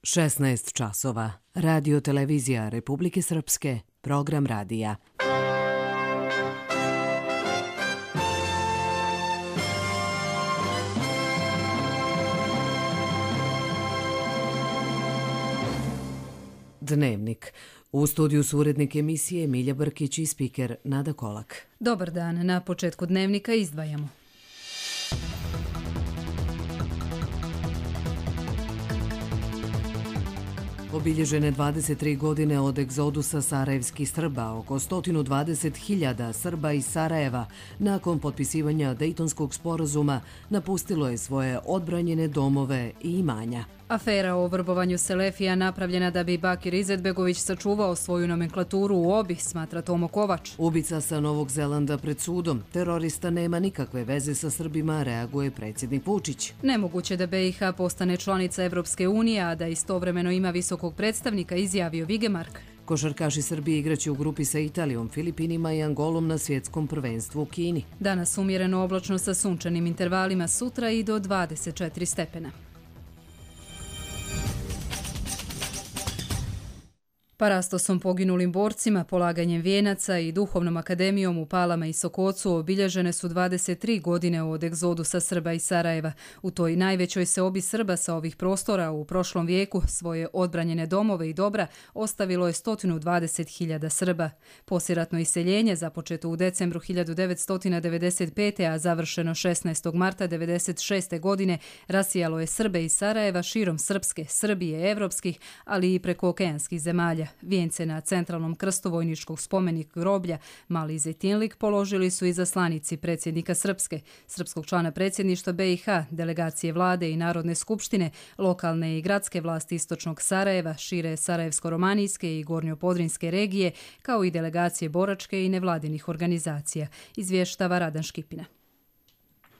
16 časova. Radio televizija Republike Srpske. Program radija. Dnevnik. U studiju su urednik emisije Milja Brkić i spiker Nada Kolak. Dobar dan. Na početku dnevnika izdvajamo. Obilježene 23 godine od egzodusa sarajevskih Srba, oko 120.000 Srba iz Sarajeva, nakon potpisivanja Dejtonskog sporazuma, napustilo je svoje odbranjene domove i imanja. Afera o vrbovanju Selefija napravljena da bi Bakir Izetbegović sačuvao svoju nomenklaturu u OBI, smatra Tomo Kovač. Ubica sa Novog Zelanda pred sudom. Terorista nema nikakve veze sa Srbima, reaguje predsjednik Vučić. Nemoguće da BiH postane članica Evropske unije, a da istovremeno ima visokog predstavnika, izjavio Vigemark. Košarkaši Srbije igraće u grupi sa Italijom, Filipinima i Angolom na svjetskom prvenstvu u Kini. Danas umjereno oblačno sa sunčanim intervalima, sutra i do 24 stepena. Parastosom poginulim borcima, polaganjem vijenaca i duhovnom akademijom u Palama i Sokocu obilježene su 23 godine od egzodusa Srba iz Sarajeva. U toj najvećoj seobi Srba sa ovih prostora u prošlom vijeku svoje odbranjene domove i dobra ostavilo je 120.000 Srba. Poslijeratno iseljenje, započeto u decembru 1995. a završeno 16. marta 1996. godine, rasijalo je Srbe iz Sarajeva širom Srpske, Srbije, evropskih, ali i prekookeanskih zemalja. Vijence na centralnom krstu vojničkog spomenika groblja Mali Zejtinlik položili su izaslanici predsjednika Srpske, srpskog člana predsjedništva BiH, delegacije vlade i Narodne skupštine, lokalne i gradske vlasti istočnog Sarajeva, šire Sarajevsko-romanijske i Gornjopodrinske regije, kao i delegacije boračke i nevladinih organizacija, izvještava Radan Škipina.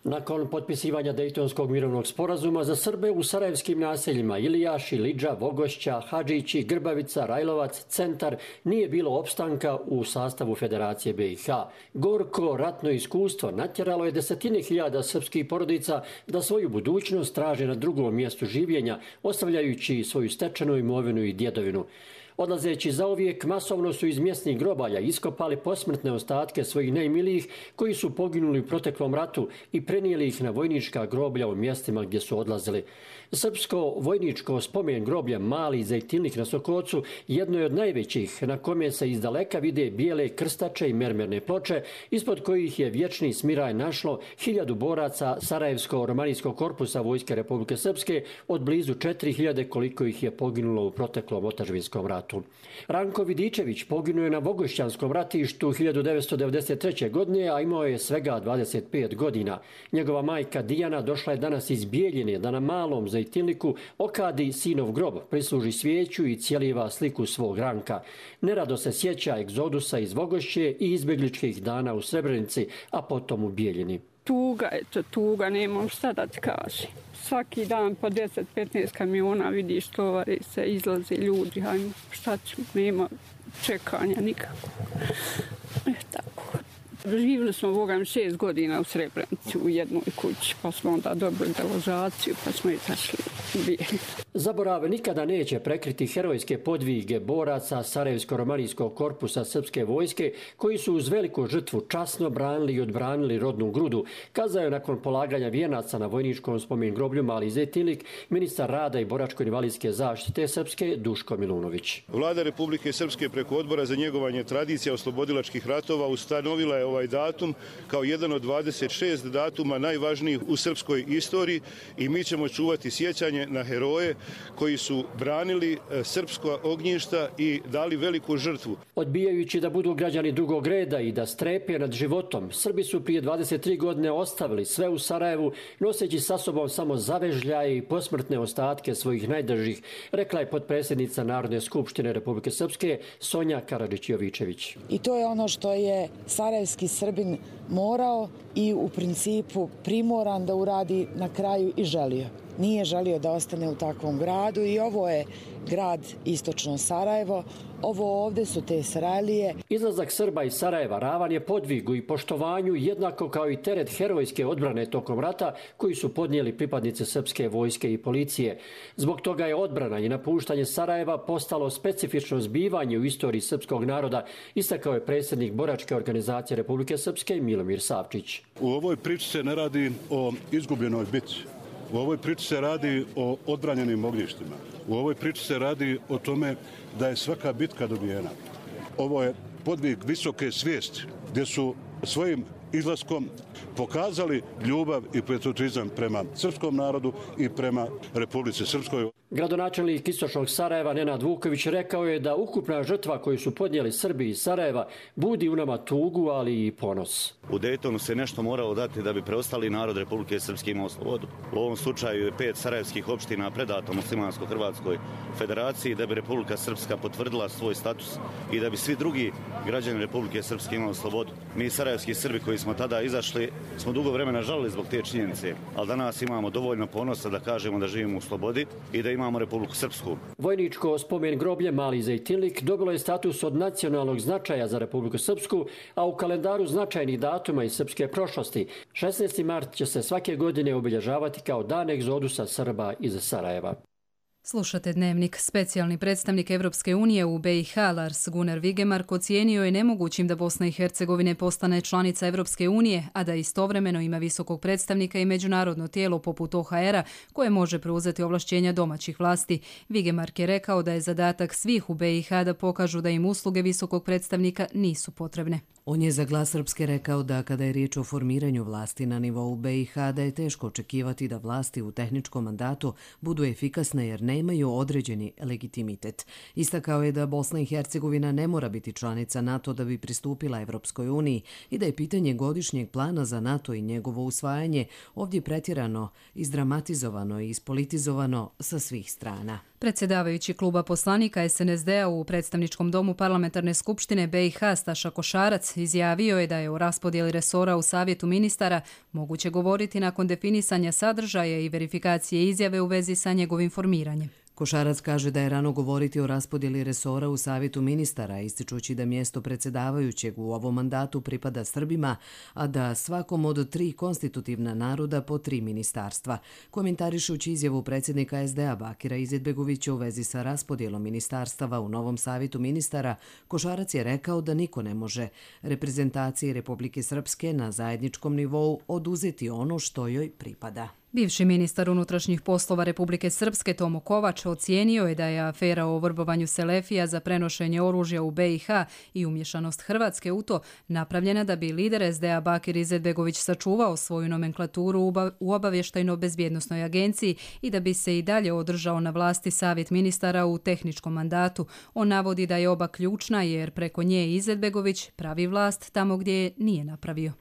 Nakon potpisivanja Dejtonskog mirovnog sporazuma za Srbe u sarajevskim naseljima Ilijaši, Lidža, Vogošća, Hadžići, Grbavica, Rajlovac, Centar nije bilo opstanka u sastavu Federacije BiH. Gorko ratno iskustvo natjeralo je desetine hiljada srpskih porodica da svoju budućnost traže na drugom mjestu življenja, ostavljajući svoju stečenu imovinu i djedovinu. Odlazeći zauvijek, masovno su iz mjesnih grobalja iskopali posmrtne ostatke svojih najmilijih koji su poginuli u proteklom ratu i prenijeli ih na vojnička groblja u mjestima gdje su odlazili. Srpsko vojničko spomen groblje Mali Zejtinlik na Sokocu jedno je od najvećih, na kome se iz daleka vide bijele krstače i mermerne ploče, ispod kojih je vječni smiraj našlo 1000 boraca Sarajevsko-romanijskog korpusa Vojske Republike Srpske od blizu 4000 koliko ih je poginulo u proteklom otadžbinskom ratu. Ranko Vidičević poginuo je na Vogošćanskom ratištu 1993. godine, a imao je svega 25 godina. Njegova majka Dijana došla je danas iz Bijeljine da na Malom Zejtinliku okadi sinov grob, prisluži svijeću i cijeliva sliku svog Ranka. Nerado se sjeća egzodusa iz Vogošće i izbjegličkih dana u Srebrenici, a potom u Bijeljini. Tuga je to, tuga, nemam šta da ti kažem. Svaki dan po 10-15 kamiona vidiš, tovari se, izlaze ljudi, hajmo, šta ću, nema čekanja nikako. Tako. Živjeli smo, Bogam, 6 godina u Srebrenici u jednoj kući, pa smo onda dobili deložaciju, pa smo izašli u Bijeljinu. Zaborav nikada neće prekriti herojske podvige boraca Sarajevsko-romanijskog korpusa srpske vojske koji su uz veliku žrtvu časno branili i odbranili rodnu grudu, kazao je nakon polaganja vijenaca na vojničkom spomen groblju Mali Zejtinlik ministar rada i boračko-invalidske zaštite Srpske Duško Milunović. Vlada Republike Srpske preko Odbora za njegovanje tradicija oslobodilačkih ratova ustanovila je ovaj datum kao jedan od 26 datuma najvažnijih u srpskoj istoriji i mi ćemo čuvati sjećanje na heroje koji su branili srpska ognjišta i dali veliku žrtvu. Odbijajući da budu građani drugog reda i da strepe nad životom, Srbi su prije 23 godine ostavili sve u Sarajevu, noseći sa sobom samo zavežljaje i posmrtne ostatke svojih najdržih, rekla je potpredsjednica Narodne skupštine Republike Srpske Sonja Karadžić-Jovičević. I to je ono što je sarajevski Srbin morao i u principu primoran da uradi na kraju i želio. nije želio da ostane u takvom gradu i ovo je grad istočno Sarajevo. Ovo ovde su te Sarajlije. Izlazak Srba iz Sarajeva ravan je podvigu i poštovanju jednako kao i teret herojske odbrane tokom rata koji su podnijeli pripadnice srpske vojske i policije. Zbog toga je odbrana i napuštanje Sarajeva postalo specifično zbivanje u istoriji srpskog naroda, istakao je predsjednik Boračke organizacije Republike Srpske Milomir Savčić. U ovoj priči se ne radi o izgubljenoj bitci. U ovoj priči se radi o odbranjenim ognjištima. U ovoj priči se radi o tome da je svaka bitka dobijena. Ovo je podvig visoke svijesti gdje su svojim izlaskom pokazali ljubav i patriotizam prema srpskom narodu i prema Republici Srpskoj. Gradonačelnik istočnog Sarajeva Nenad Vuković rekao je da ukupna žrtva koju su podnijeli Srbi iz Sarajeva budi u nama tugu, ali i ponos. U Dejtonu se nešto moralo dati da bi preostali narod Republike Srpske imao slobodu. U ovom slučaju je 5 sarajevskih opština predato Muslimansko-Hrvatskoj federaciji da bi Republika Srpska potvrdila svoj status i da bi svi drugi građani Republike Srpske imali slobodu. Mi sarajevski Srbi koji smo tada izašli smo dugo vremena žalili zbog te činjenice, ali danas imamo dovoljno ponosa da kažemo da živimo u slobodi i da imamo Republiku Srpsku. Vojničko spomen groblje Mali Zejtinlik dobilo je status od nacionalnog značaja za Republiku Srpsku, a u kalendaru značajnih datuma iz srpske prošlosti 16. mart će se svake godine obilježavati kao dan egzodusa Srba iz Sarajeva. Slušate Dnevnik. Specijalni predstavnik Evropske unije u BiH Lars Gunnar Vigemark ocijenio je nemogućim da Bosna i Hercegovina postane članica Evropske unije, a da istovremeno ima visokog predstavnika i međunarodno tijelo poput OHR-a koje može preuzeti ovlašćenja domaćih vlasti. Vigemark je rekao da je zadatak svih u BiH da pokažu da im usluge visokog predstavnika nisu potrebne. On je za Glas Srpske rekao da kada je riječ o formiranju vlasti na nivou BiH da je teško očekivati da vlasti u tehničkom mandatu budu efikasne jer nemaju određeni legitimitet. Istakao je da Bosna i Hercegovina ne mora biti članica NATO da bi pristupila Evropskoj uniji i da je pitanje godišnjeg plana za NATO i njegovo usvajanje ovdje pretjerano, izdramatizovano i ispolitizovano sa svih strana. Predsjedavajući kluba poslanika SNSD-a u predstavničkom domu parlamentarne skupštine BiH Staša Košarac izjavio je da je o raspodjeli resora u Savjetu ministara moguće govoriti nakon definisanja sadržaja i verifikacije izjave u vezi sa njegovim formiranjem. Košarac kaže da je rano govoriti o raspodjeli resora u Savjetu ministara, ističući da mjesto predsjedavajućeg u ovom mandatu pripada Srbima, a da svakom od 3 konstitutivna naroda po 3 ministarstva. Komentarišući izjavu predsjednika SDA Bakira Izetbegovića u vezi sa raspodjelom ministarstava u novom Savjetu ministara, Košarac je rekao da niko ne može reprezentaciji Republike Srpske na zajedničkom nivou oduzeti ono što joj pripada. Bivši ministar unutrašnjih poslova Republike Srpske Tomo Kovač ocijenio je da je afera o vrbovanju Selefija za prenošenje oružja u BiH i umješanost Hrvatske u to napravljena da bi lider SDA Bakir Izetbegović sačuvao svoju nomenklaturu u obavještajno-bezbjednosnoj agenciji i da bi se i dalje održao na vlasti Savjet ministara u tehničkom mandatu. On navodi da je oba ključna jer preko nje Izetbegović pravi vlast tamo gdje je nije napravio.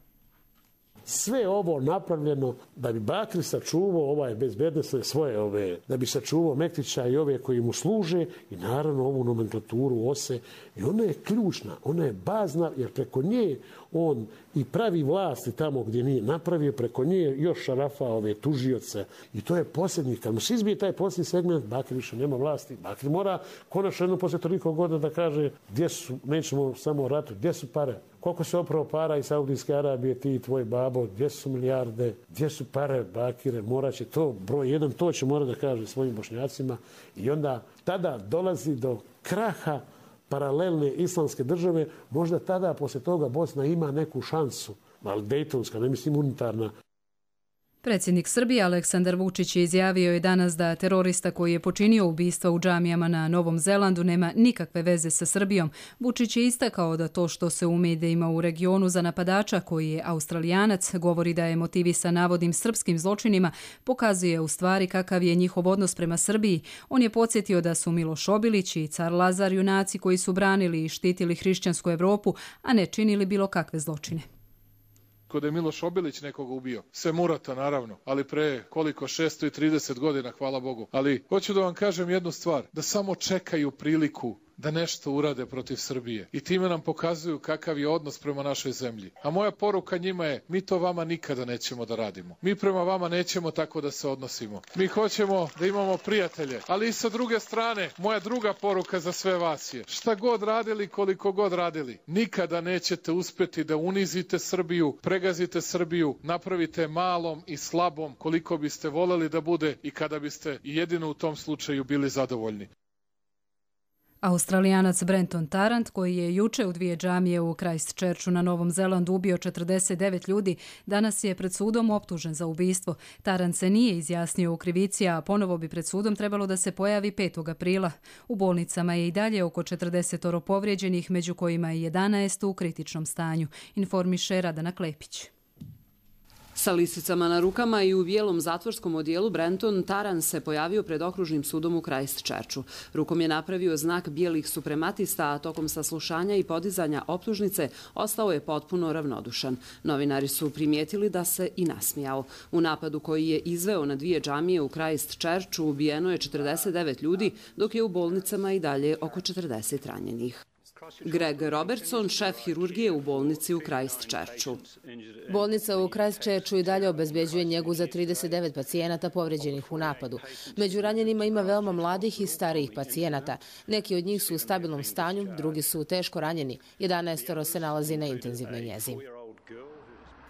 Sve ovo napravljeno da bi Bakir sačuvao ovaj bezbednosne svoje da bi sačuvao Mektića i ove koji mu služe i naravno ovu nomenklaturu OSE. I ona je ključna, ona je bazna jer preko nje on i pravi vlasti tamo gdje nije napravio, preko nje još šarafa ove tužioce. I to je posljednji, kad mu se izbije taj posljednji segment, Bakir više nema vlasti. Bakir mora konačno jednom poslije toliko godina da kaže gdje su, nećemo samo o ratu, gdje su pare. Koliko se opravo para iz Saudijske Arabije, ti i tvoj babo, gdje su milijarde, gdje su pare, Bakire, morat će to, broj 1, to će mora da kaže svojim Bošnjacima. I onda tada dolazi do kraha paralelne islamske države, možda tada poslije toga Bosna ima neku šansu, ali dejtonska, ne mislim unitarna. Predsjednik Srbije Aleksandar Vučić je izjavio je danas da terorista koji je počinio ubistva u džamijama na Novom Zelandu nema nikakve veze sa Srbijom. Vučić je istakao da to što se u medijima u regionu za napadača koji je Australijanac govori da je motivisan navodnim srpskim zločinima, pokazuje u stvari kakav je njihov odnos prema Srbiji. On je podsjetio da su Miloš Obilić i car Lazar junaci koji su branili i štitili hrišćansku Evropu, a ne činili bilo kakve zločine. Kod je Miloš Obilić nekoga ubio. Sve Murata, naravno, ali pre koliko, 630 godina, hvala Bogu. Ali hoću da vam kažem jednu stvar, da samo čekaju priliku da nešto urade protiv Srbije. I time nam pokazuju kakav je odnos prema našoj zemlji. A moja poruka njima je, mi to vama nikada nećemo da radimo. Mi prema vama nećemo tako da se odnosimo. Mi hoćemo da imamo prijatelje. Ali i sa druge strane, moja druga poruka za sve vas je, šta god radili, koliko god radili, nikada nećete uspeti da unizite Srbiju, pregazite Srbiju, napravite malom i slabom koliko biste voleli da bude i kada biste jedino u tom slučaju bili zadovoljni. Australijanac Brenton Tarrant, koji je juče u 2 džamije u Christchurchu na Novom Zelandu ubio 49 ljudi, danas je pred sudom optužen za ubistvo. Tarrant se nije izjasnio u krivici, a ponovo bi pred sudom trebalo da se pojavi 5. aprila. U bolnicama je i dalje oko 40 povrijeđenih, među kojima je 11 u kritičnom stanju, informiše Radana Klepić. Sa lisicama na rukama i u bijelom zatvorskom odijelu Brenton Tarrant se pojavio pred okružnim sudom u Christchurchu. Rukom je napravio znak bijelih suprematista, a tokom saslušanja i podizanja optužnice ostao je potpuno ravnodušan. Novinari su primijetili da se i nasmijao. U napadu koji je izveo na 2 džamije u Christchurchu ubijeno je 49 ljudi, dok je u bolnicama i dalje oko 40 ranjenih. Greg Robertson, šef hirurgije u bolnici u Christchurchu. Bolnica u Christchurchu i dalje obezbeđuje njegu za 39 pacijenata povređenih u napadu. Među ranjenima ima veoma mladih i starijih pacijenata. Neki od njih su u stabilnom stanju, drugi su teško ranjeni. 11 se nalazi na intenzivnoj njezi.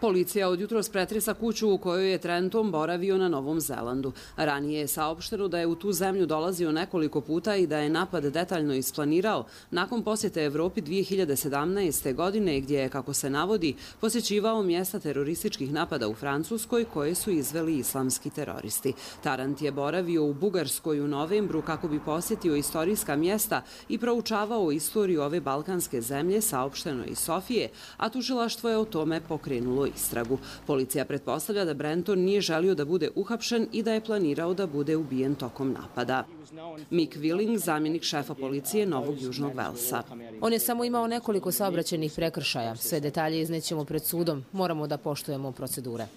Policija od jutros pretresa kuću u kojoj je Trenton boravio na Novom Zelandu. Ranije je saopšteno da je u tu zemlju dolazio nekoliko puta i da je napad detaljno isplanirao nakon posjete Evropi 2017. godine, gdje je, kako se navodi, posjećivao mjesta terorističkih napada u Francuskoj koje su izveli islamski teroristi. Tarrant je boravio u Bugarskoj u novembru kako bi posjetio istorijska mjesta i proučavao istoriju ove balkanske zemlje, saopšteno iz Sofije, a tužilaštvo je o tome pokrenulo istragu. Policija pretpostavlja da Brenton nije želio da bude uhapšen i da je planirao da bude ubijen tokom napada. Mick Willing, zamjenik šefa policije Novog Južnog Velsa. On je samo imao nekoliko saobraćajnih prekršaja. Sve detalje iznećemo pred sudom. Moramo da poštujemo procedure.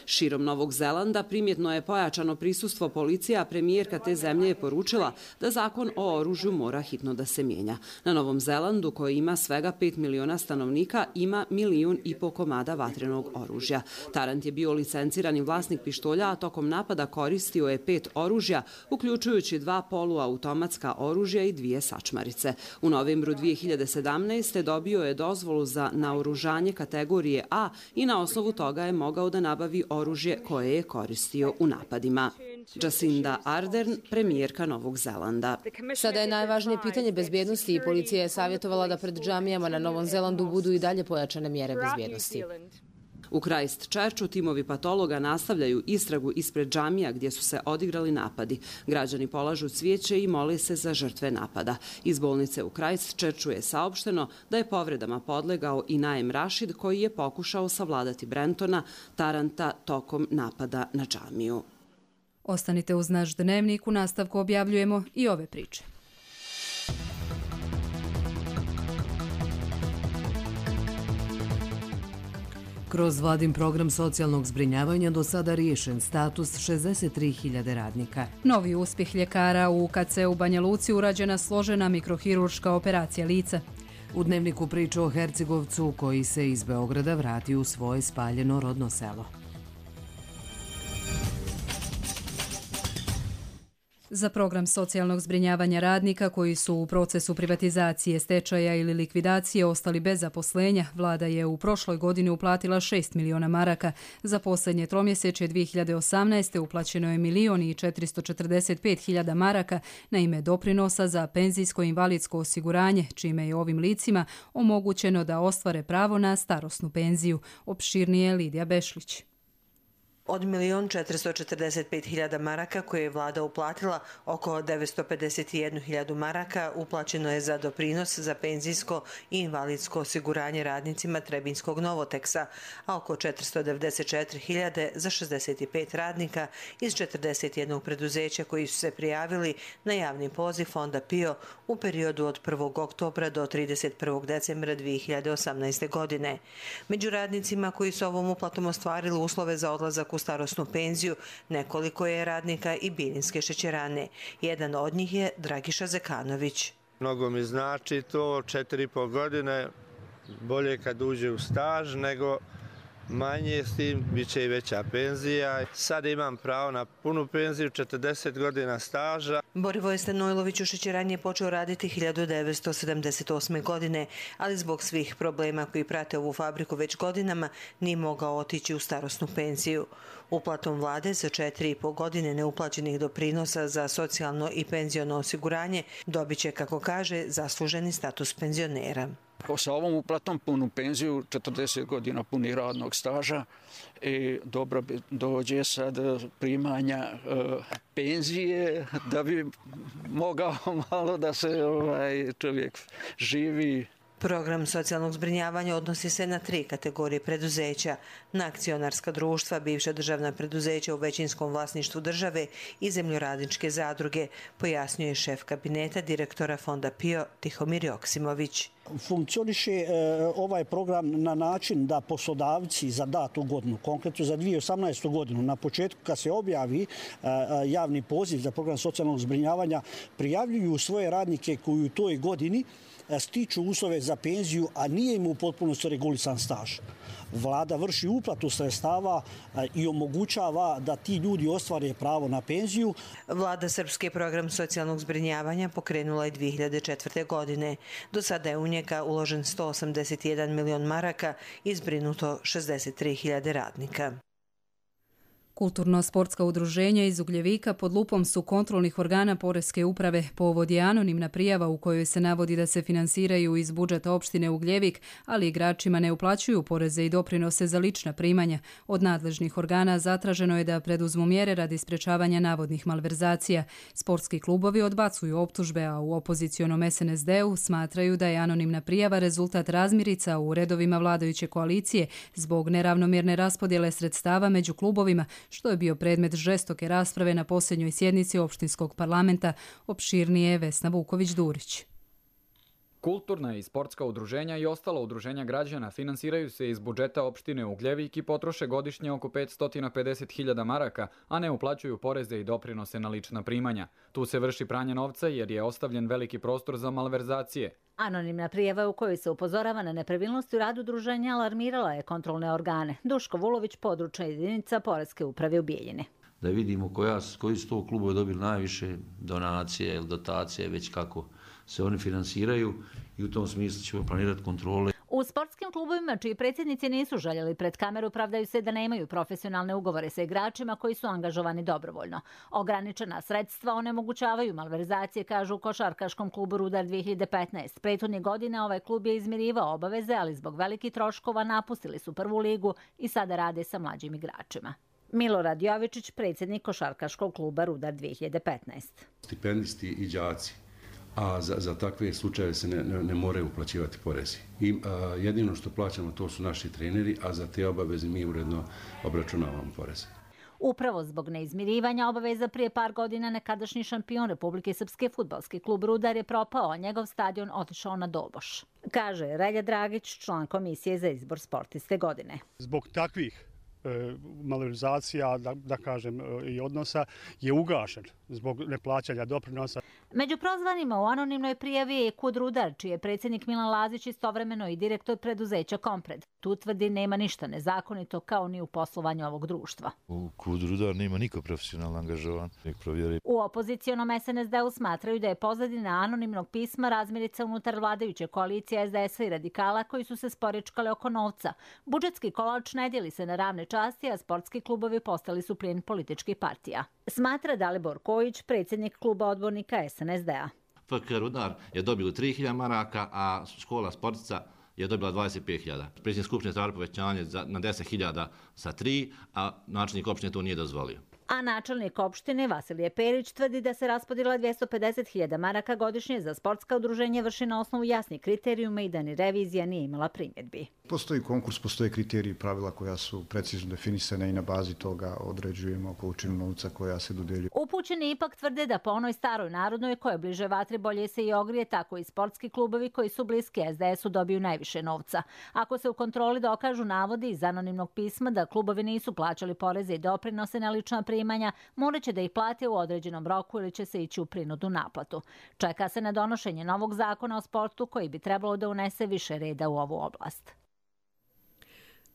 Širom Novog Zelanda primjetno je pojačano prisustvo policije, a premijerka te zemlje je poručila da zakon o oružju mora hitno da se mijenja. Na Novom Zelandu, koji ima svega 5 miliona stanovnika, ima 1,5 miliona komada vatrenog oružja. Tarrant je bio licencirani vlasnik pištolja, a tokom napada koristio je 5 oružja, uključujući 2 poluautomatska oružja i 2 sačmarice. U novembru 2017. dobio je dozvolu za naoružanje kategorije A i na osnovu toga je mogao da nabavi oružje koje je koristio u napadima. Jacinda Ardern, premijerka Novog Zelanda. Sada je najvažnije pitanje bezbjednosti i policija je savjetovala da pred džamijama na Novom Zelandu budu i dalje pojačane mjere bezbjednosti. U Christchurchu timovi patologa nastavljaju istragu ispred džamija gdje su se odigrali napadi. Građani polažu cvijeće i mole se za žrtve napada. Iz bolnice u Christchurchu je saopšteno da je povredama podlegao i Naem Rashid, koji je pokušao savladati Brentona Tarranta tokom napada na džamiju. Ostanite uz naš dnevnik, u nastavku objavljujemo i ove priče. Kroz vladin program socijalnog zbrinjavanja do sada riješen status 63.000 radnika. Novi uspjeh ljekara u UKC-u Banja Luci, urađena složena mikrohirurška operacija lica. U dnevniku priča o Hercegovcu koji se iz Beograda vrati u svoje spaljeno rodno selo. Za program socijalnog zbrinjavanja radnika koji su u procesu privatizacije, stečaja ili likvidacije ostali bez zaposlenja, vlada je u prošloj godini uplatila 6 miliona maraka. Za posljednje tromjesečje 2018. uplaćeno je 1.445.000 maraka na ime doprinosa za penzijsko i invalidsko osiguranje, čime je ovim licima omogućeno da ostvare pravo na starosnu penziju. Opširnije Lidija Bešlić. Od 1.445.000 maraka koje je vlada uplatila, oko 951.000 maraka uplaćeno je za doprinos za penzijsko i invalidsko osiguranje radnicima Trebinskog Novoteksa, a oko 494.000 za 65 radnika iz 41 preduzeća koji su se prijavili na javni poziv Fonda PIO u periodu od 1. oktobra do 31. decembra 2018. godine. Među radnicima koji su ovom uplatom ostvarili uslove za odlazak u starosnu penziju, nekoliko je radnika i Biljinske šećerane. Jedan od njih je Dragiša Zekanović. Mnogo mi znači to, 4,5 godine, bolje kad uđe u staž nego manje, s tim bit će i veća penzija. Sad imam pravo na punu penziju, 40 godina staža. Borivoje Stanojlović u šećerani je počeo raditi 1978. godine, ali zbog svih problema koji prate ovu fabriku već godinama nije mogao otići u starosnu penziju. Uplatom vlade za 4,5 godine neuplaćenih doprinosa za socijalno i penziono osiguranje dobit će, kako kaže, zasluženi status penzionera. Sa ovom uplatom punu penziju, 40 godina puni radnog staža, dobro dođe sad primanja penzije da bi mogao malo da se čovjek živi. Program socijalnog zbrinjavanja odnosi se na 3 kategorije preduzeća: na akcionarska društva, bivša državna preduzeća u većinskom vlasništvu države i zemljoradničke zadruge, pojasnjuje šef kabineta direktora Fonda PIO Tihomir Joksimović. Funkcioniše ovaj program na način da poslodavci za datu godinu, konkretno za 2018. godinu, na početku kad se objavi javni poziv za program socijalnog zbrinjavanja, prijavljuju svoje radnike koji u toj godini stiču uslove za penziju, a nije im u potpunosti regulisan staž. Vlada vrši uplatu sredstava i omogućava da ti ljudi ostvare pravo na penziju. Vlada Srpske program socijalnog zbrinjavanja pokrenula je 2004. godine. Do sada je u njega uložen 181 milion maraka i zbrinuto 63.000 radnika. Kulturno-sportska udruženja iz Ugljevika pod lupom su kontrolnih organa Poreske uprave. Povod je anonimna prijava u kojoj se navodi da se finansiraju iz budžeta opštine Ugljevik, ali igračima ne uplaćuju poreze i doprinose za lična primanja. Od nadležnih organa zatraženo je da preduzmu mjere radi sprečavanja navodnih malverzacija. Sportski klubovi odbacuju optužbe, a u opozicionom SNSD-u smatraju da je anonimna prijava rezultat razmirica u redovima vladajuće koalicije zbog neravnomjerne raspodjele sredstava među klubovima, što je bio predmet žestoke rasprave na posljednjoj sjednici opštinskog parlamenta. Opširnije Vesna Vuković-Durić. Kulturna i sportska udruženja i ostala udruženja građana finansiraju se iz budžeta opštine Ugljevik i potroše godišnje oko 550.000 maraka, a ne uplaćuju poreze i doprinose na lična primanja. Tu se vrši pranje novca jer je ostavljen veliki prostor za malverzacije. Anonimna prijava u kojoj se upozorava na nepravilnosti u radu udruženja alarmirala je kontrolne organe. Duško Vulović, područna jedinica Poreske uprave u Bijeljini. Da vidimo koji su to klubove dobili najviše donacije ili dotacije, već kako se oni finansiraju, i u tom smislu ćemo planirati kontrole. U sportskim klubovima čiji predsjednici nisu željeli pred kameru pravdaju se da nemaju profesionalne ugovore sa igračima koji su angažovani dobrovoljno. Ograničena sredstva onemogućavaju malverzacije, kažu u košarkaškom klubu Rudar 2015. Prethodnih godina ovaj klub je izmirivao obaveze, ali zbog velikih troškova napustili su prvu ligu i sada rade sa mlađim igračima. Milorad Jovičić, predsjednik košarkaškog kluba Rudar 2015. Stipendisti i đaci, a za takve slučaje se ne moraju uplaćivati porezi. I jedino što plaćamo to su naši treneri, a za te obaveze mi uredno obračunavamo poreze. Upravo zbog neizmirivanja obaveza prije par godina nekadašnji šampion Republike Srpske fudbalski klub Rudar je propao, a njegov stadion otišao na doboš. Kaže Relja Dragić, član komisije za izbor sportiste godine. Zbog takvih malverzacija, da kažem, i odnosa je ugašen zbog neplaćanja doprinosa. Među prozvanima u anonimnoj prijavi je Kud Rudar, čiji je predsjednik Milan Lazić istovremeno i direktor preduzeća Kompred. Tu tvrdi nema ništa nezakonito kao ni u poslovanju ovog društva. U Kud Rudar nema niko profesionalno angažovan. U opozicionom SNSD-u smatraju da je pozadina anonimnog pisma razmirica unutar vladajuće koalicije SDS-a i radikala koji su se sporičkali oko novca. Budžetski kolač ne dijeli se na ravne časti, a sportski klubovi postali su plijen političkih partija. Smatra Dalibor Kojić, predsjednik kluba odbornika SNSD-a. FK Rudar je dobilo 3.000 maraka, a škola sportica je dobila 25.000. Predsjednik skupštine traži povećanje na 10.000 sa 3, a načelnik opštine to nije dozvolio. A načelnik opštine Vasilije Perić tvrdi da se raspodjela 250.000 maraka godišnje za sportska udruženja vrši na osnovu jasnih kriterijuma i da ni revizija nije imala primjedbi. Postoji konkurs, postoje kriteriji i pravila koja su precizno definisane i na bazi toga određujemo količinu novca koja se dodeljuje. Upućeni ipak tvrde da po onoj staroj narodnoj koja bliže vatri bolje se i ogrije, tako i sportski klubovi koji su bliski SDS-u dobiju najviše novca. Ako se u kontroli dokažu navodi iz anonimnog pisma da klubovi nisu plaćali poreze i doprinose na lična primanja, primanja, morat će da ih plate u određenom roku ili će se ići u prinudnu naplatu. Čeka se na donošenje novog zakona o sportu koji bi trebalo da unese više reda u ovu oblast.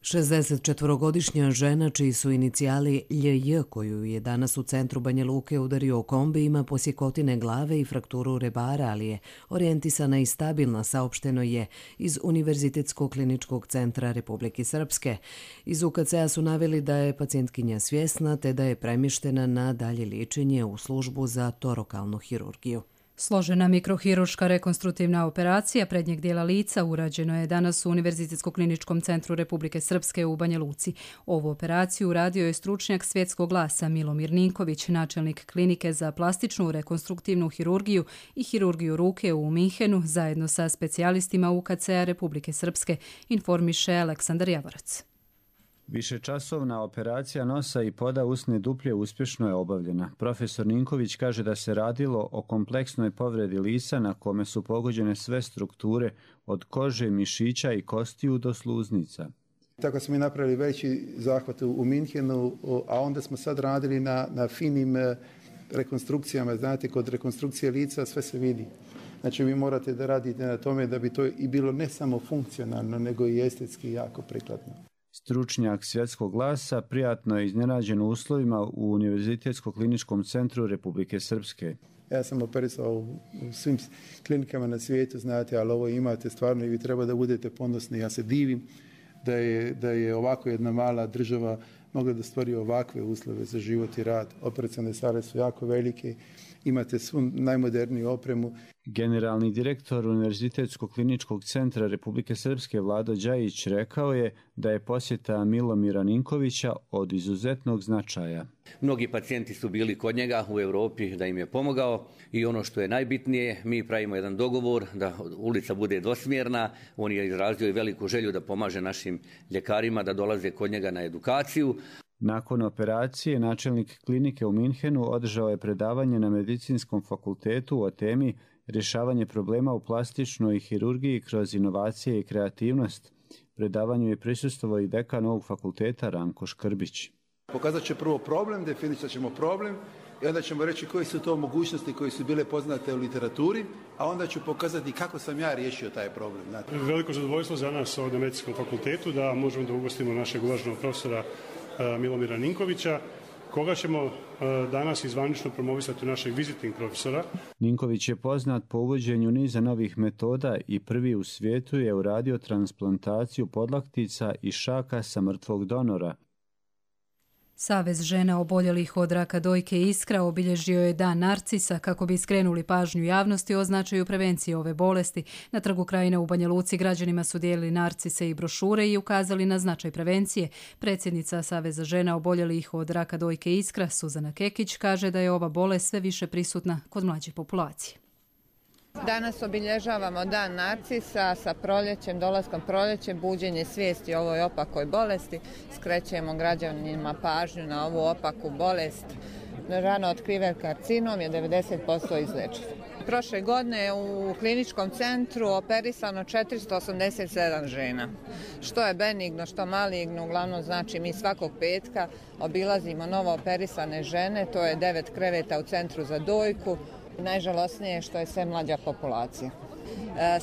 64-godišnja žena čiji su inicijali LJ, koju je danas u centru Banja Luke udario kombi, ima posjekotine glave i frakturu rebara, ali je orijentisana i stabilna, saopšteno je iz Univerzitetskog kliničkog centra Republike Srpske. Iz UKC-a su naveli da je pacijentkinja svjesna te da je premještena na dalje liječenje u službu za torokalnu hirurgiju. Složena mikrohiruška rekonstruktivna operacija prednjeg dijela lica urađeno je danas u Univerzitetskom kliničkom centru Republike Srpske u Banja Luci. Ovu operaciju uradio je stručnjak svjetskog glasa Milomir Ninković, načelnik klinike za plastičnu rekonstruktivnu hirurgiju i hirurgiju ruke u Minhenu, zajedno sa specijalistima UKC-a Republike Srpske, informiše Aleksandar Javorac. Višečasovna operacija nosa i poda usne duplje uspješno je obavljena. Profesor Ninković kaže da se radilo o kompleksnoj povredi lisa na kome su pogođene sve strukture od kože, mišića i kostiju do sluznica. Tako smo i napravili veći zahvat u Minhenu, a onda smo sad radili na finim rekonstrukcijama. Znate, kod rekonstrukcije lica sve se vidi. Znači vi morate da radite na tome da bi to i bilo ne samo funkcionalno, nego i estetski jako prikladno. Stručnjak svjetskog glasa prijatno je iznenađen uslovima u Univerzitetskom kliničkom centru Republike Srpske. Ja sam operisao u svim klinikama na svijetu, znate, ali ovo imate stvarno i vi treba da budete ponosni. Ja se divim da je ovako jedna mala država mogla da stvori ovakve uslove za život i rad. Operacione sale su jako velike, imate svu najmoderniju opremu. Generalni direktor Univerzitetskog kliničkog centra Republike Srpske Vlado Đajić rekao je da je posjeta Milomira Ninkovića od izuzetnog značaja. Mnogi pacijenti su bili kod njega u Europi da im je pomogao i ono što je najbitnije, mi pravimo jedan dogovor da ulica bude dvosmjerna. On je izrazio i veliku želju da pomaže našim ljekarima da dolaze kod njega na edukaciju. Nakon operacije, načelnik klinike u Minhenu održao je predavanje na Medicinskom fakultetu o temi rješavanje problema u plastičnoj hirurgiji kroz inovacije i kreativnost. Predavanju je prisustvovao i dekan ovog fakulteta Ranko Škrbić. Pokazat će prvo problem, definisat ćemo problem i onda ćemo reći koje su to mogućnosti koje su bile poznate u literaturi, a onda ću pokazati kako sam ja riješio taj problem. Veliko zadovoljstvo za nas ovdje na Medicinskom fakultetu da možemo da ugostimo našeg uvaženog profesora Milomira Ninkovića, koga ćemo danas izvanično promovisati našeg visiting profesora. Ninković je poznat po uvođenju niza novih metoda i prvi u svijetu je uradio transplantaciju podlaktica i šaka sa mrtvog donora. Savez žena oboljelih od raka dojke Iskra obilježio je Dan narcisa kako bi skrenuli pažnju javnosti o značaju prevencije ove bolesti. Na Trgu Krajine u Banja Luci građanima su dijelili narcise i brošure i ukazali na značaj prevencije. Predsjednica Saveza žena oboljelih od raka dojke Iskra, Suzana Kekić, kaže da je ova bolest sve više prisutna kod mlađe populacije. Danas obilježavamo Dan narcisa sa proljećem, dolaskom proljećem, buđenje svijesti o ovoj opakoj bolesti. Skrećemo građanima pažnju na ovu opaku bolest. Rano otkriven karcinom je 90% izlečen. Prošle godine u kliničkom centru operisano 487 žena. Što je benigno, što maligno, uglavnom znači mi svakog petka obilazimo novo operisane žene, to je 9 kreveta u centru za dojku. Najžalosnije je što je sve mlađa populacija.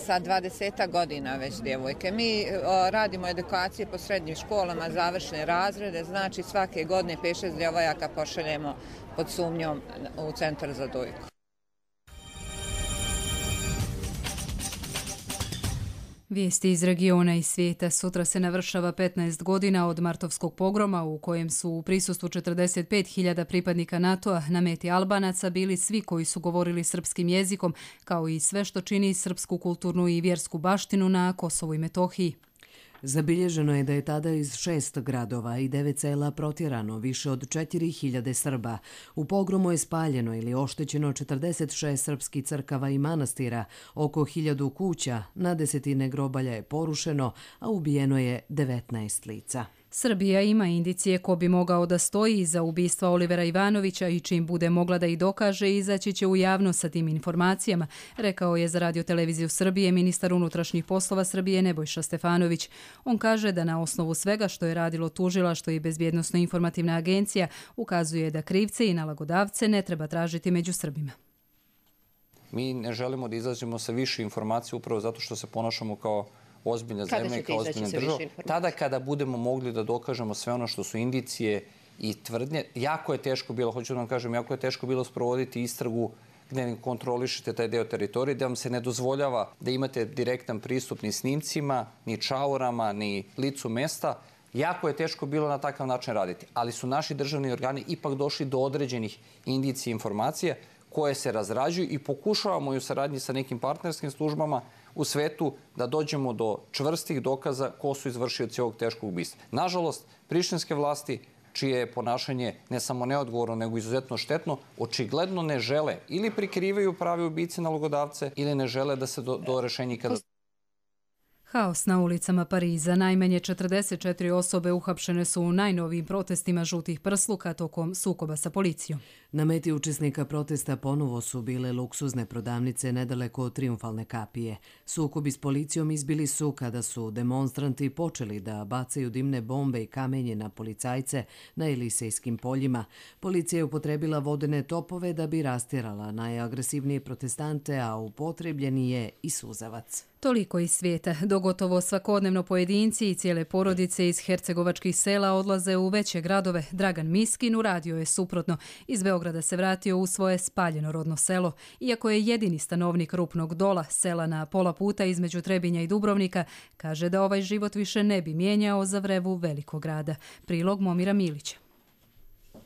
Sa 20 godina već djevojke. Mi radimo edukacije po srednjim školama, završne razrede, znači svake godine 5-6 djevojaka pošaljemo pod sumnjom u centar za dojku. Vijesti iz regiona i svijeta. Sutra se navršava 15 godina od martovskog pogroma u kojem su u prisustvu 45.000 pripadnika NATO-a na meti Albanaca bili svi koji su govorili srpskim jezikom, kao i sve što čini srpsku kulturnu i vjersku baštinu na Kosovu i Metohiji. Zabilježeno je da je tada iz 6 gradova i 9 sela protjerano više od 4.000 Srba. U pogromu je spaljeno ili oštećeno 46 srpskih crkava i manastira, oko 1000 kuća, na desetine grobalja je porušeno, a ubijeno je 19 lica. Srbija ima indicije ko bi mogao da stoji iza ubistva Olivera Ivanovića i čim bude mogla da ih dokaže, izaći će u javnost sa tim informacijama, rekao je za Radio-televiziju Srbije ministar unutrašnjih poslova Srbije Nebojša Stefanović. On kaže da na osnovu svega što je radilo tužilaštvo i Bezbjednosno-informativna agencija ukazuje da krivce i nalagodavce ne treba tražiti među Srbima. Mi ne želimo da izađemo sa više informacija upravo zato što se ponašamo kao ozbiljna zemlja i kao ozbiljna država. Tada kada budemo mogli da dokažemo sve ono što su indicije i tvrdnje, jako je teško bilo, hoću da vam kažem, jako je teško bilo sprovoditi istragu gde ne kontrolišete taj deo teritorije, da vam se ne dozvoljava da imate direktan pristup ni snimcima, ni čaurama, ni licu mesta. Jako je teško bilo na takav način raditi, ali su naši državni organi ipak došli do određenih indicija i informacija koje se razrađuju i pokušavamo i u saradnji sa nekim partnerskim službama u svetu da dođemo do čvrstih dokaza ko su izvršioci ovog teškog ubistva. Nažalost, prištinske vlasti, čije je ponašanje ne samo neodgovorno, nego izuzetno štetno, očigledno ne žele ili prikrivaju prave ubice nalogodavce ili ne žele da se do rešenja ikada... Haos na ulicama Pariza. Najmanje 44 osobe uhapšene su u najnovijim protestima žutih prsluka tokom sukoba sa policijom. Na meti učesnika protesta ponovo su bile luksuzne prodavnice nedaleko od Trijumfalne kapije. Sukobi s policijom izbili su kada su demonstranti počeli da bacaju dimne bombe i kamenje na policajce na Elisejskim poljima. Policija je upotrebila vodene topove da bi rastjerala najagresivnije protestante, a upotrebljeni je i suzavac. Toliko iz svijeta. Dogotovo svakodnevno pojedinci i cijele porodice iz hercegovačkih sela odlaze u veće gradove. Dragan Miskin uradio je suprotno. Iz Beograda se vratio u svoje spaljeno rodno selo. Iako je jedini stanovnik Rupnog Dola, sela na pola puta između Trebinja i Dubrovnika, kaže da ovaj život više ne bi mijenjao za vrevu velikog grada. Prilog Momira Milića.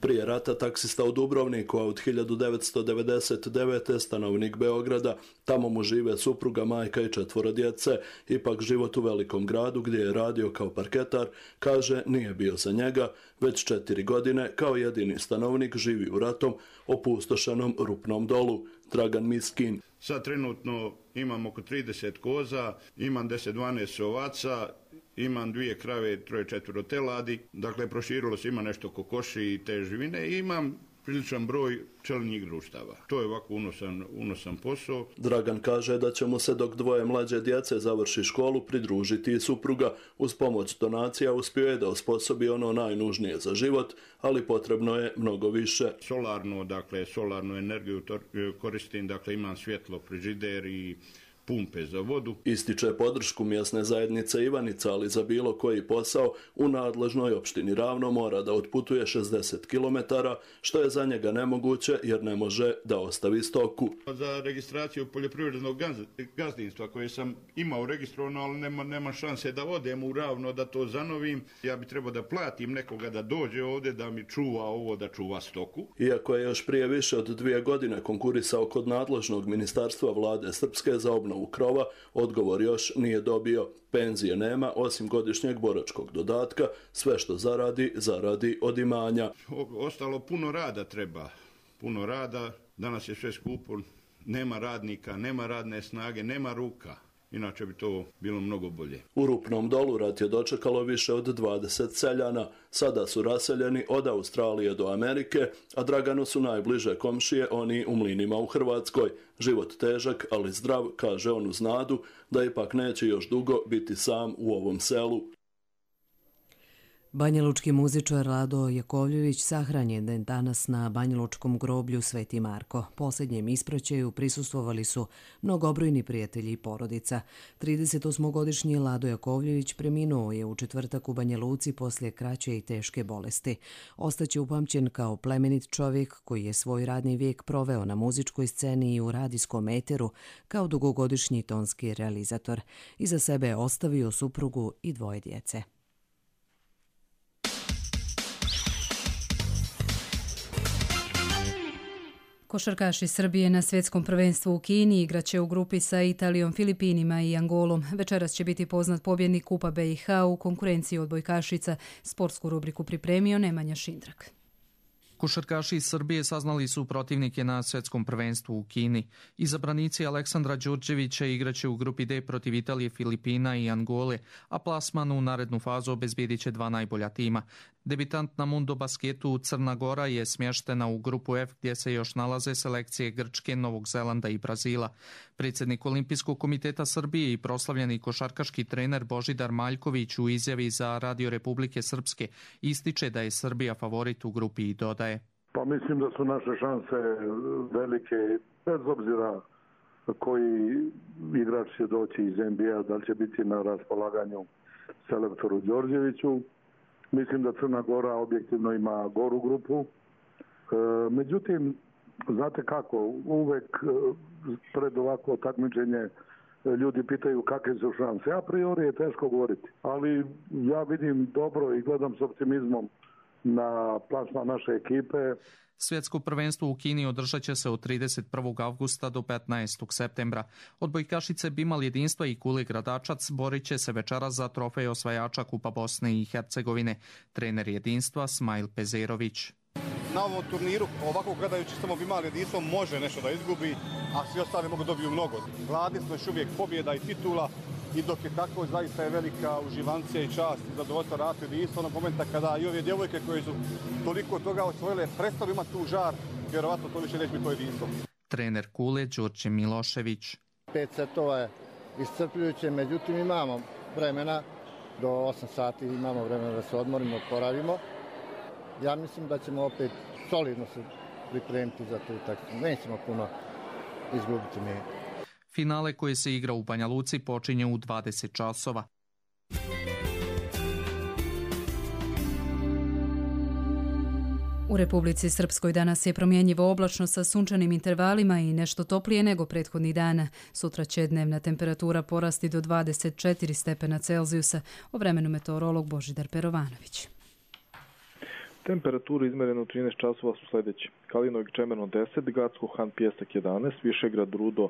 Prije rata taksista u Dubrovniku, a od 1999. stanovnik Beograda, tamo mu žive supruga, majka i 4 djece. Ipak život u velikom gradu gdje je radio kao parketar, kaže, nije bio za njega. Već 4 godine kao jedini stanovnik živi u ratom opustošenom Rupnom Dolu. Dragan Miskin. Sad trenutno imam oko 30 koza, imam 10-12 ovaca, imam 2 krave, 3-4 teladi, dakle proširilo se, ima nešto kokoši i te živine i imam priličan broj pčelinjih društava. To je ovako unosan posao. Dragan kaže da će mu se dok 2 mlađe djece završi školu pridružiti i supruga. Uz pomoć donacija uspio je da osposobi ono najnužnije za život, ali potrebno je mnogo više. Solarnu energiju koristim, dakle imam svjetlo, frižider i pumpe za vodu. Ističe podršku mjesne zajednice Ivanica, ali za bilo koji posao u nadležnoj opštini Ravno mora da otputuje 60 km, što je za njega nemoguće jer ne može da ostavi stoku. Za registraciju poljoprivrednog gazdinstva koje sam imao registrovano, ali nema šanse da odem u Ravno da to zanovim. Ja bi trebao da platim nekoga da dođe ovdje da mi čuva ovo, da čuva stoku. Iako je još prije više od 2 godine konkurisao kod nadležnog ministarstva vlade Srpske za obnovu krova, odgovor još nije dobio. Penzije nema, osim godišnjeg boračkog dodatka, sve što zaradi od imanja. Ostalo puno rada treba, puno rada, danas je sve skupo, nema radnika, nema radne snage, nema ruka. Inače bi to bilo mnogo bolje. U Rupnom Dolu rat je dočekalo više od 20 seljana. Sada su raseljeni od Australije do Amerike, a Draganu su najbliže komšije oni u Mlinima u Hrvatskoj. Život težak, ali zdrav, kaže on uz nadu da ipak neće još dugo biti sam u ovom selu. Banjalučki muzičar Rado Jakovljević sahranjen je danas na banjalučkom groblju Sveti Marko. Posljednjem ispraćaju prisustvovali su mnogobrojni prijatelji i porodica. 38-godišnji Lado Jakovljević preminuo je u četvrtak u Banja Luci poslije kraće i teške bolesti. Ostaće upamćen kao plemenit čovjek koji je svoj radni vijek proveo na muzičkoj sceni i u radijskom eteru kao dugogodišnji tonski realizator. Iza sebe je ostavio suprugu i 2 djece. Košarkaši Srbije na svjetskom prvenstvu u Kini igraće u grupi sa Italijom, Filipinima i Angolom. Večeras će biti poznat pobjednik Kupa BiH u konkurenciji odbojkašica. Sportsku rubriku pripremio Nemanja Šindrak. Košarkaši iz Srbije saznali su protivnike na svjetskom prvenstvu u Kini. Izabranici Aleksandra Đurđevića igraće u grupi D protiv Italije, Filipina i Angole, a plasman u narednu fazu obezbijedit će 2 najbolja tima. Debitant na Mundo basketu Crna Gora je smještena u grupu F gdje se još nalaze selekcije Grčke, Novog Zelanda i Brazila. Predsjednik Olimpijskog komiteta Srbije i proslavljeni košarkaški trener Božidar Maljković u izjavi za Radio Republike Srpske ističe da je Srbija favorit u grupi i dodaje. Pa mislim da su naše šanse velike, bez obzira koji igrač će doći iz NBA, da li će biti na raspolaganju selektoru Đorđeviću. Mislim da Crna Gora objektivno ima goru grupu. Međutim, znate kako, uvek pred ovako takmičenje ljudi pitaju kakve su šanse. A priori je teško govoriti, ali ja vidim dobro i gledam s optimizmom na plasman naše ekipe. Svjetsko prvenstvo u Kini održat će se od 31. avgusta do 15. septembra. Odbojkašice Bimal Jedinstva i Kule Gradačac borit će se večeras za trofej osvajača Kupa Bosne i Hercegovine. Trener Jedinstva Smajl Pezerović. Na ovom turniru, ovako gledajući samo Bimal Jedinstvo može nešto da izgubi, a svi ostali mogu dobiju mnogo. Gladni smo još uvijek pobjeda i titula i dok je tako, zaista je velika uživancija i čast i zadovoljstvo raditi jedinstvo onog momenta kada i ove djevojke koje su toliko toga osvojile prestali imati tu žar, vjerovatno to više neće biti to jedinstvo. Trener Kule Đorđe Milošević. 5 setova je iscrpljujuće, međutim imamo vremena, do 8 sati imamo vremena da se odmorimo, oporavimo. Ja mislim da ćemo opet solidno se pripremiti za tu utakmicu. Nećemo puno izgubiti mi. Finale koje se igra u Banja Luci počinje u 20 časova. U Republici Srpskoj danas je promjenjivo oblačno sa sunčanim intervalima i nešto toplije nego prethodnih dana. Sutra će dnevna temperatura porasti do 24 stepena Celzijusa. O vremenu meteorolog Božidar Perovanović. Temperature izmerene u 13 časova su sljedeće. Kalinovik Čemerno 10, Gacko Han Pijesak 11, Višegrad Rudo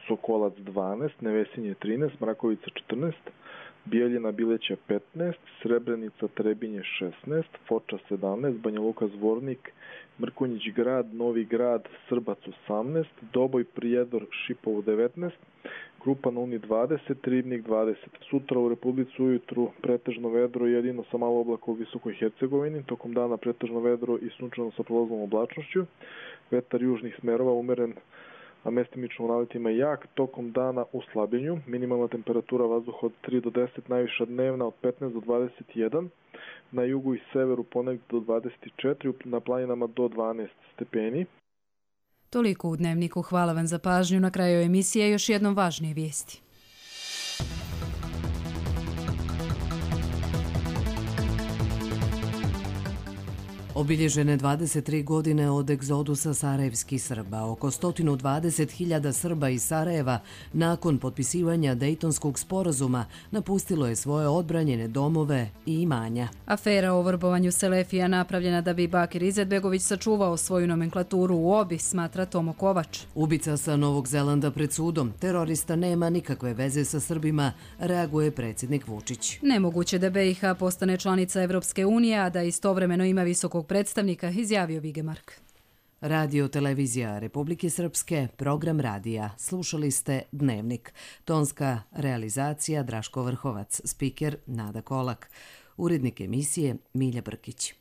Sokolac 12, Nevesinje 13, Mrakovica 14, Bijeljina Bileća 15, Srebrenica Trebinje 16, Foča 17, Banja Luka Zvornik, Mrkonjić Grad, Novi Grad, Srbac 18, Doboj Prijedor Šipovo 19, Krupa na Uni 20, Ribnik 20. Sutra u Republici ujutru pretežno vedro jedino sa malo oblaka u Visokoj Hercegovini, tokom dana pretežno vedro i sunčano sa prolaznom oblačnošću, vetar južnih smerova umeren, a mestimično u naletima jak, tokom dana u slabljenju, minimalna temperatura vazduha od 3 do 10, najviša dnevna od 15 do 21, na jugu i severu ponegdje do 24, na planinama do 12 stepeni. Toliko u Dnevniku, hvala vam za pažnju. Na kraju emisije još jednom važnije vijesti. Obilježene 23 godine od egzodusa sarajevskih Srba. Oko 120.000 Srba iz Sarajeva nakon potpisivanja Dejtonskog sporazuma napustilo je svoje odbranjene domove i imanja. Afera o vrbovanju Selefija napravljena da bi Bakir Izetbegović sačuvao svoju nomenklaturu u OBI, smatra Tomo Kovač. Ubica sa Novog Zelanda pred sudom. Terorista nema nikakve veze sa Srbima, reaguje predsjednik Vučić. Nemoguće da BiH postane članica Evropske unije, a da istovremeno ima visokog predstavnika, izjavio Vigemark. Radio Televizija Republike Srpske, program radija. Slušali ste Dnevnik. Tonska realizacija Draško Vrhovac, spiker Nada Kolak. Urednik emisije Milja Brkić.